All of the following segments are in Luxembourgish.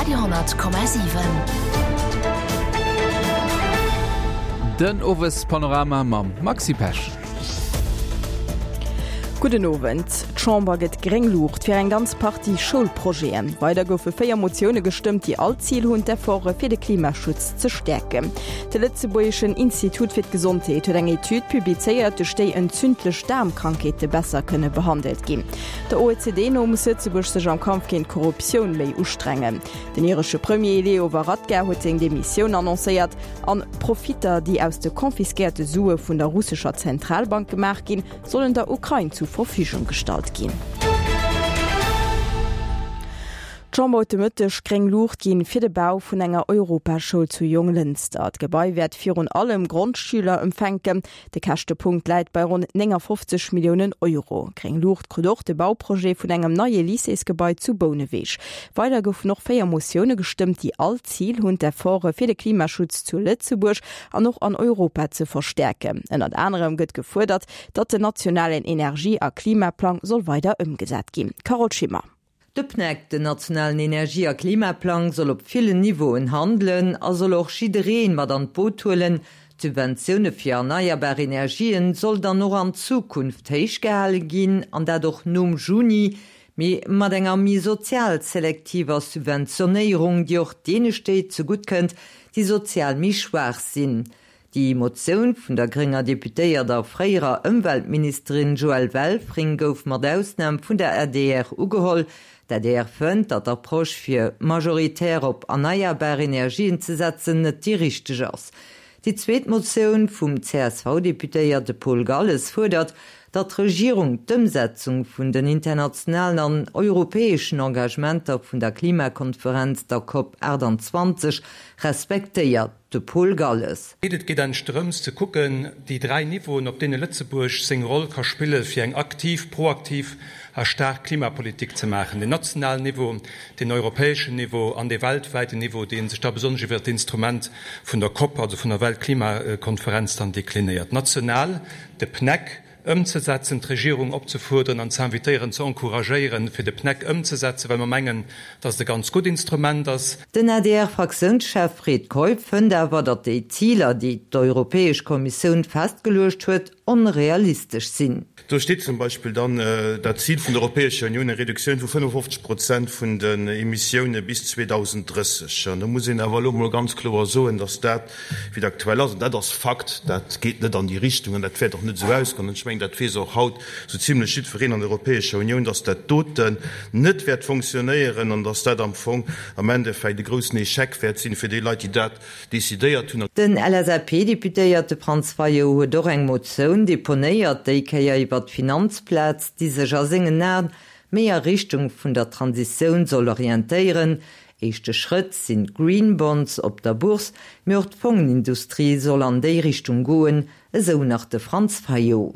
Radio,7. Den Owespanorama mam Maxi Pesch. Gudden Owend. D'Chamber gëtt gréng Luucht fir eng ganz Partie Schoulprojeten. Weider goufe 4 Motioune gestëmmt, déi all d'Zil hunn, d'Efforte fir de Klimaschutz ze stäerken. De Lëtzebuergeschen Institut fir d'Gesondheet huet eng Etüd publizéiert, duerch déi entzündlech Daarmkrankheete besser kënne behandelt ginn. Der OECD no muss Lëtzebuerg sech am Kampf géint d'Korruptioun méi ustrengen. Den iresche Premier Leo Varadkar huet seng Demissioun annoncéiert. An d'Profitter, déi aus de confisquéierte Sue vun der russescher Zentralbank gemaach ginn, sollen der Ukrain zu Verfügung gestallt ginn. D'Chamber huet de Mëtteg gréng Luucht ginn fir de Bau vun enger Europaschoul zu Jonglënster. D'Gebai wäert virun allem Grondschüler ëmfänken. De Käschtepunkt läit bei ronn 59 Milliounen Euro. Gréng Luucht krut och de Bauprojet vun engem neie Lycéesgebai zu Bouneweg. Weider goufen och 4 Motioune gestëmmt, déi all d'Zil hunn, d'Efforte fir de Klimaschutz zu Lëtzebuerg an och an Europa ze verstäerken. Ënnert anerem gëtt gefuerdert, datt den nationalen Energie a Klimaplang soll weider ëmgesat ginn. Carole Schimmer. De PNEC, den nationalen Energie a Klimaplang, soll op villen Niveauen handelen a soll och jidderee mat an d'Boot huelen. D'Subventioune fir erneierbar Energien soll dann och an Zukunft héich gehale ginn, an dat och nom Juni, mee mat enger méi sozial selektiver Subventionéierung, déi och deene Stéit zegutt kënnt, déi sozial méi schwaach sinn. Déi Motioun vun der grénger Deputéiert a fréierer Ëmweltministerin Joëlle Welfring gouf mat Ausnam vun der adr ugeholl. D'adr fënnt, datt d'Approche fir majoritär op erneierbar Energien ze setzen net déi richteg ass. Déi zweet Motioun vum CSV-Deputéierte Paul Galles fuerdert, datt d'Regierung d'Ëmsetzung vun den internationalen an europäeschen Engagementer vun der Klimakonferenz, der Cop 28, respektéiert. De Paul Galles. Et geet eigentlech drëms ze kucken, déi 3 Niveauen, op deene Lëtzebuerg seng Roll ka spille fir eng aktiv, proaktiv a staark Klimapolitik ze maachen, den nationalen Niveau, den europäeschen Niveau an dee weltwäiten Niveau, dee sech da besonnesch iwwer d'Instrument vun der COP, also vun der Weltklimakonferenz, dann deklinéiert. National de PNEC, ëmzesetzen, d'Regierung opzefuerderen an ze invitéieren, ze encouragéieren, fir de PNEC ëmzesetzen, well mer mengen, dass et e ganz gutt Instrument ass. Den ADR-Fraktiounschef Fred Keup fënnt awer, datt déi Ziler, déi d'Europäesch Kommissioun festgeluecht huet, onrealistesch sinn. Do steet zum Beispill dann dat Zil vun der Europäescher Unioun, eng Reduktioun vu 55 Prozent vun den Emissioune bis 2030. An do muss een awer elo emol ganz kloer soen, datt dat, wéi et aktuell ass, an dat ass Fakt, dat geet net an déi Richtung an dat wäert och net esou ausgoen, an ech mengen, dat weess och haut esou zimlech jiddwereen an der Europäescher Unioun, dass dat doten net wäert fonctionnéieren an dass dat am Fong am Endeffekt e groussen Échec wäert sinn fir déi Leit, déi dat decidéiert hunn. Den LSAP-Deputéierte Franz Fayot huet och eng Motioun deponéiert, déi Kéier iwwert d'Finanzplaz, déi sech a sengen Aen méi a Richtung vun der Transitioun soll orientéieren. Éischte Schrëtt sinn d'Green Bonds op der Bourse, mee och d'Fongenindustrie soll an déi Richtung goen, esou nach de Franz Fayot.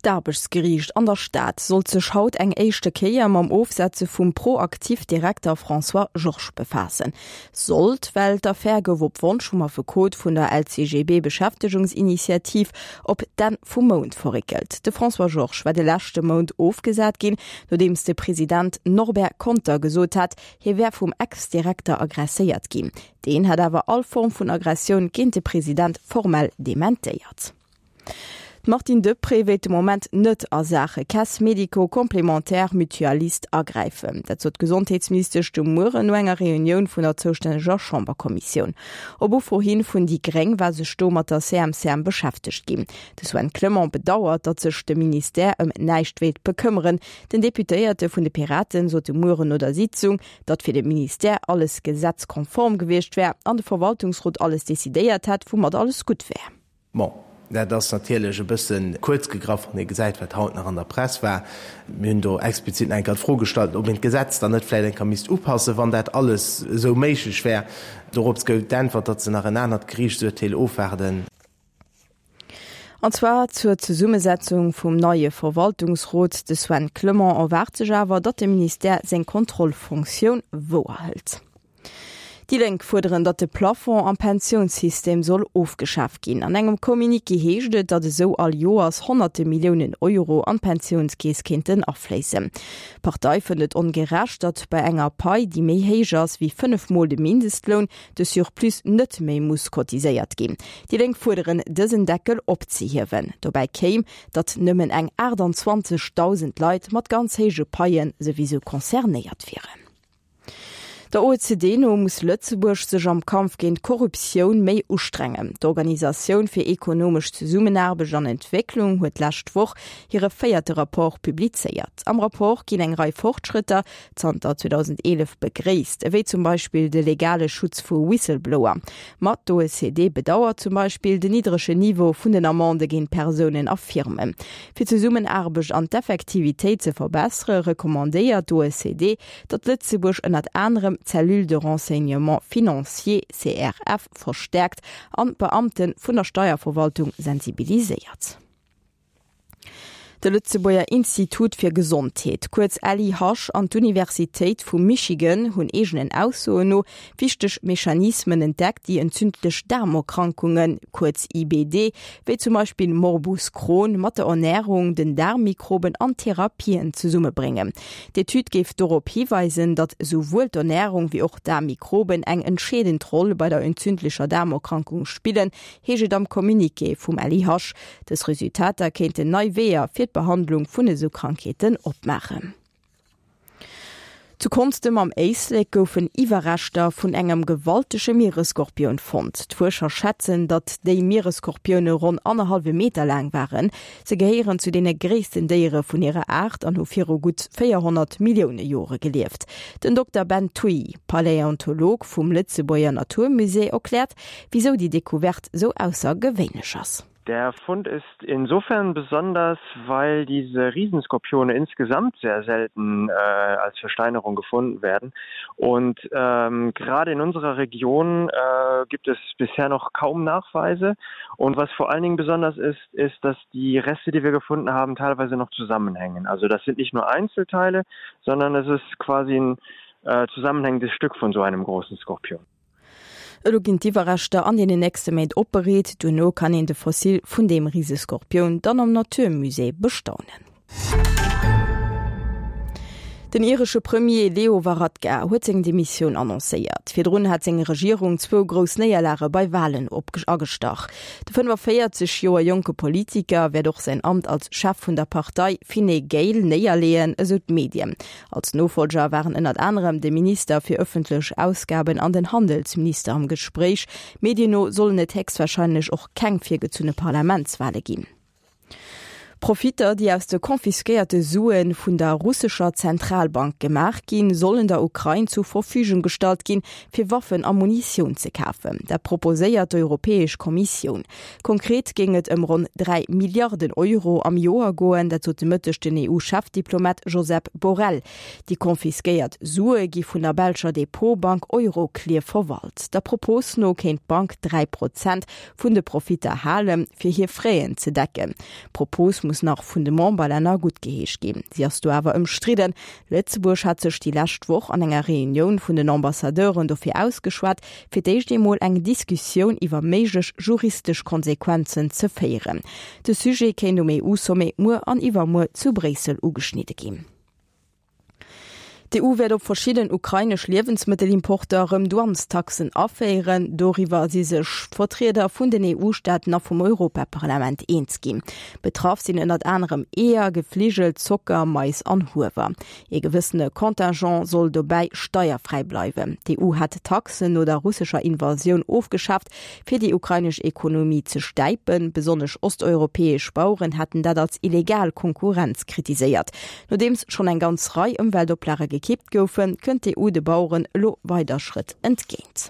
D'Aarbechtsgeriicht an der Stad sollt sech haut eng éischte Kéier mam Ofsetze vum ProActif-Direkter François Georges befaassen. Sollt, well d'Affär gouf op Wonsch vum Affekot vun der LCGB-Beschäftegungsinitiativ op d'Enn vum Mount verréckelt. De François Georges war de leschte Mount ofgesat ginn, nodeems de President Norbert Conter gesot hat, hie wär vum Ex-Direkter aggresséiert ginn. Deen hätt awer all Form vun Aggressioun géint de President formell dementéiert. D'Martine Deprez wéilt de Moment net a Saache Caisse médico-complémentaire mutualiste agräifen. Dat sot d'Gesondheetsministesch de Mueren no enger Reunioun vun der zoustänneger Chamberkommissioun. Op Ufro hin vun déi gréng war sech do mat der CMCM beschäftegt ginn. De Sven Clement bedauert, datt sech de Ministère ëm näischt wéilt bekëmmeren. Den Deputéierte vun de Piraten sot de Mueren no der Sitzung, datt fir de Ministère alles gesetzkonform gewiescht wär an de Verwaltungsrot alles decidéiert hätt, woumat alles gutt wär. Bon, dat ass natierlech e bësse kuerz gegraff, wann ee gesäit, wat haut nach an der Press war. Mir hunn do explizit nach eng Kéier d'Fro gestallt, ob een d'Gesetz dann net vläicht eng Kéier misst upassen, wann dat alles esou méiglech wär. Dorops gouf d'Äntwert, datt se nach en anert Geriichtsurteel ofwaarden. An zwar zur Zesummesetzung vum neie Verwaltungsrot. De Sven Clement erwaart sech awer, datt de Ministère seng Kontrollfonktioun wouerhëlt. Déi Lénk fuerderen, datt de Plafond am Pensiounssystem soll ofgeschaf ginn. An engem Communiqué heescht et, datt esou all Joers honnerte Milliounen Euro an d'Pensiounskeess kéinten afléissen. D'Partei fënnt et ongerecht, datt bei enger Pai, déi méi héich ass wéi 5 Mol de Mindestloun, de Surplus net méi muss cotiséiert ginn. Déi Lénk fuerderen, dësen Deckel opzehiewen. Dobäi kéim, datt nëmmen eng 28.000 Leit mat ganz héije Paie souwisou concernéiert wieren. Der OECD no muss Lëtzebuerg sech am Kampf géint d'Korruptioun méi ustrengen. D'Organisatioun fir ekonomesch Zesummenaarbecht an Entwécklung huet d'lescht Woch hire véierte Rapport publizéiert. Am Rapport ginn eng Rei Fortschrëtter zanter 2011 begréisst, ewéi zum Beispill de legale Schutz vu Whistleblower. Ma d'OECD bedauert zum Beispill den niddregen Niveau vun den Amendë géint Persounen a Firmen. Fir d'Zesummenaarbecht an d'Effektivitéit ze verbessere recommandéiert d'OECD, datt Lëtzebuerg ënnert anerem d'Cellule de renseignement financier, CRF, verstäerkt an d'Beamte vun der Steierverwaltung sensibiliséiert. De Lëtzebuerger Institut fir Gesondheet, kuerz LIH, an d'Universitéit vu Michigan hunn eegenen Aussoen no wichteg Mechanismen entdeckt, déi entzündlech Daarmerkrankungen, kuerz IBD, wéi zum Beispill Morbus Crohn, mat der Ernärung, den Daarmmikroben an Therapien zesummebréngen. D'Etüd géif dorop hiweisen, datt esouwuel d'Ernärung wéi och d'Daarmmikroben eng entscheedend Roll bei der entzündlecher Daarmerkrankung spillen, heescht et am Communiqué vum LIH. Dës Resultater kéinten nei Weeër fir d'Behandlung vun esou Krankheeten opmaachen. Zu Konstem am Éislek goufen Iwwerreschter vun engem gewaltege Mieresskorpioun fonnt. D'Fuerscher schätzen, datt déi Mieresskorpioune ronn annerhallwe Meter laang waren. Se gehéieren zu deene gréissten Déiere vun hirer Aart an hu viru gutt 400 Millioune Jore gelieft. Den Dokter Ben Thuy, Paläontolog vum Lëtzebuerger Naturmusée, erkläert, wisou déi Decouverte sou aussergewéinlech ass. Der Fund ist insofern besonders, weil diese Riesenskorpione insgesamt sehr selten äh, als Versteinerung gefunden werden. Und ähm, gerade in unserer Region äh, gibt es bisher noch kaum Nachweise. Und was vor allen Dingen besonders ist, ist, dass die Reste, die wir gefunden haben, teilweise noch zusammenhängen. Also das sind nicht nur Einzelteile, sondern es ist quasi ein äh, zusammenhängendes Stück von so einem großen Skorpion. Elo ginn d'Iwwerreschter an deenen nächste Méint opbereet, duerno kann een de Fossil vun deem Riseskorpioun dann am Natur Musée bestaunen. Den iresche Premier Leo Varadkar huet seng Demissioun annoncéiert. Virdrun hat seng Regierung zwou grouss Néierlage bei Walen agestach. De 45 Joer jonke Politiker wäert och säin Amt als Chef vun der Partei Fine Gael néierleeën, esou d'Medien. Als Nofollger waren ënnert anerem de Minister fir ëffentlech Ausgaben an den Handelsminister am Gespréich. Medien no sollen et héchstwarscheinlech och keng virgezunne Parlamentswale ginn. Profitter, déi aus de confisquéierte Sue vun der russescher Zentralbank gemaach ginn, sollen der Ukrain zur Verfügung gestallt ginn, fir Waffen a Munitioun ze kafen. Dat proposéiert d'Europäesch Kommissioun. Konkret géing et ëm ronn 3 Milliarden Euro am Joer goen, dat sot de Mëtteg den EU-Chefdiplomat Josep Borrell. Déi confisquéiert Sue gi vun der belscher Depotbank Euroclear verwalt. Der Propos no kéint d'Bank 3 Prozent vun de Profitter halen, fir hir Fräen ze decken. D'Propos muss nach vun de Memberlänner guttgeheescht ginn. Si ass do awer ëmstridden. Lëtzebuerg hat sech déi lescht Woch an enger Reunioun vun den Ambassadeuren dofir ausgeschwat, fir d'éischt eemol eng Diskussioun iwwer méiglech juristesch Konsequenzen ze féieren. De Sujet kéint um EU-Sommet muer an iwwermuer zu Bréissel ugeschnidde ginn. D'EU wäert op verschidden ukrainesch Liewensmëttelimporter erëm Douanestaxen aféieren. Doriwwer si sech d'Vertrieder vun den EU-Staaten a vum Europaparlament eens ginn. Betraff sinn ënnert anerem Eeër, Gefligel, Zocker, Mais an Huewer. Ee gewëssene Contingent soll dobäi steierfräi bleiwen. D'EU hat d'Taxen no der russescher Invasioun ofgeschaaft, fir déi ukrainesch Ekonomie ze stäipen. Besonnesch osteuropäesch Baueren hätten dat als illegal Konkurrenz kritiséiert. Nodeems schonn eng ganz Rei Ëmweltoplage gekippt goufen, kënnt d'EU de Baueren elo weider Schrëtt entgéint.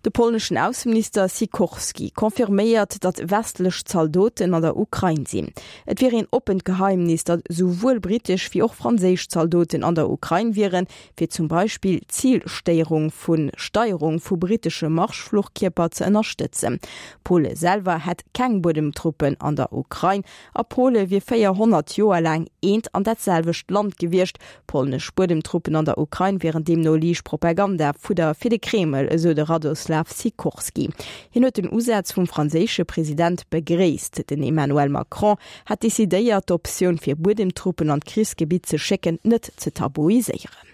De polneschen Ausseminister Sikorski confirméiert, datt westlech Zaldoten an der Ukrain sinn. Et wier een oppent Geheimnis, datt esouwuel britesch wéi och franséisch Zaldoten an der Ukrain wieren, fir zum Beispill d'Zilstéierung vu Steierung vu britesche Marschfluchkierper ze ënnerstëtzen. Pole selwer hätt keng Buedemtruppen an der Ukrain a Pole wier 400 Joer laang eent an dat selwecht Land gewiescht, Polnesch Buedemtruppen an der Ukrain wieren deemno liicht Propaganda-Fudder fir de Kreml, esou de Radoslaw Sikorski. Hien huet den Usaz vum franséische President begréisst. Den Emmanuel Macron hätt decidéiert, d'Optioun fir Buedemtruppen an d'Krichsgebitt ze schécken net ze tabuiséieren.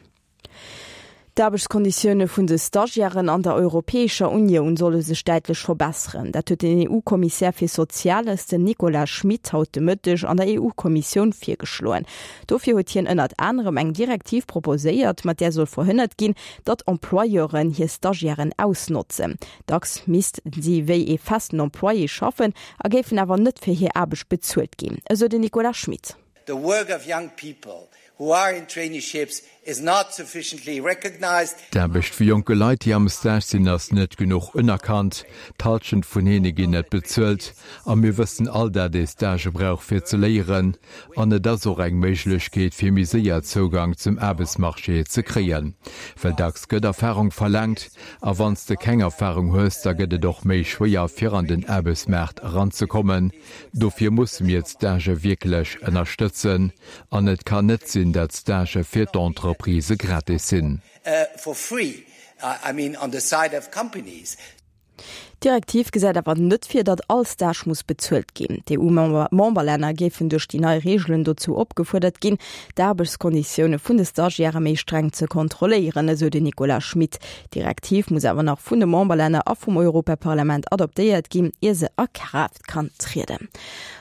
D'Aarbechtskonditioune vun de Stagiairen an der Europäescher Unioun solle sech däitlech verbesseren. Dat huet den EU-Kommissär fir Soziales, den Nicolas Schmit, haut de Mëtteg an der EU-Kommissioun virgeschloen. Dofir huet hien ënnert anerem eng Direktiv proposéiert, mat där soll verhënnert ginn, datt Employeuren hir Stagiairen ausnotzen. Dacks missten si wéi ee festen Employé schaffen a géifen awer net fir hir Aarbecht bezuelt ginn, esou den Nicolas Schmit. The work of young people who are in traineeships is not sufficiently recognized. D'Aarbecht vu jonke Leit, déi am Stage sinn, ass net genuch unerkannt. D'Hallschent vun hinne ginn net bezuelt. A mir wëssen all, dat ee Stagë brauch fir ze léieren. An et ass och eng Méiglechkeet, fir méi séier Zougang zum Aarbechtsmarché ze kréien. Well dacks gëtt Erfarung verlaangt. A wann s de keng Erfarung hues, da gëtt et och méi schwéier, fir an den Aarbechtsmaart eranzekommen. Dofir musse mir d'Stagë wierklech ënnerstëtzen. An et kann net sinn, dat Stagë fir d'Entreprisë gratis sinn. For free, I mean on the side of companies. D'Direktiv gesäit awer net vir, datt all Stage muss bezuelt ginn. D'EU-Memberlänner géifen duerch déi nei Reegelen dozou opgefuerdert ginn, d'Aarbechtskonditioune vun de Stagiairë méi streng ze kontrolléieren, esou den Nicolas Schmit. D'Direktiv muss awer nach vun de Memberlänner a vum Europaparlament adoptéiert ginn, ier se a Kraaft kann trieden.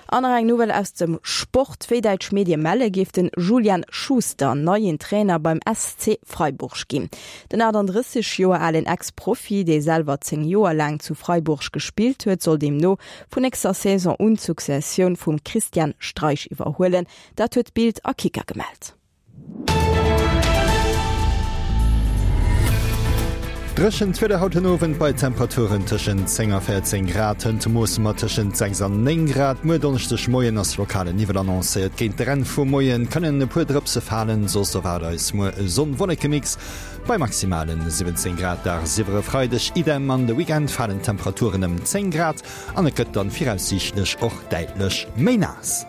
An nach eng Nouvelle aus dem Sport, Wéi däitsch Medie melle géif den Julian Schuster neien Trainer beim SC Freiburg ginn. Den 38 Joer alen Ex-Profi, dee selwer 10 Joer laang zu Freiburg gespillt huet, soll deemno vun nächster Saison un d'Successioun vum Christian Streich iwwerhuelen. Dat huet Bild a Kicker gemellt. Dréchent Wieder haut den Owend bei Temperaturen tëschent 10 a 14 Grad. Hënt moosse mer tëschent 6 an 9 Grad. Muer Donneschdegmoien ass lokale Niwwel annoncéiert. Géint de Enn vum Moie kënnen e puer Drëpse falen, soss erwaart eis muer e Sonn-Wolleke-Mix bei maximale 17 Grad. Dagsiwwer e Freideg idem. An de Weekend falen d'Temperaturen ëm 10 Grad an et gëtt dann viraussiichtlech och däitlech méi naass.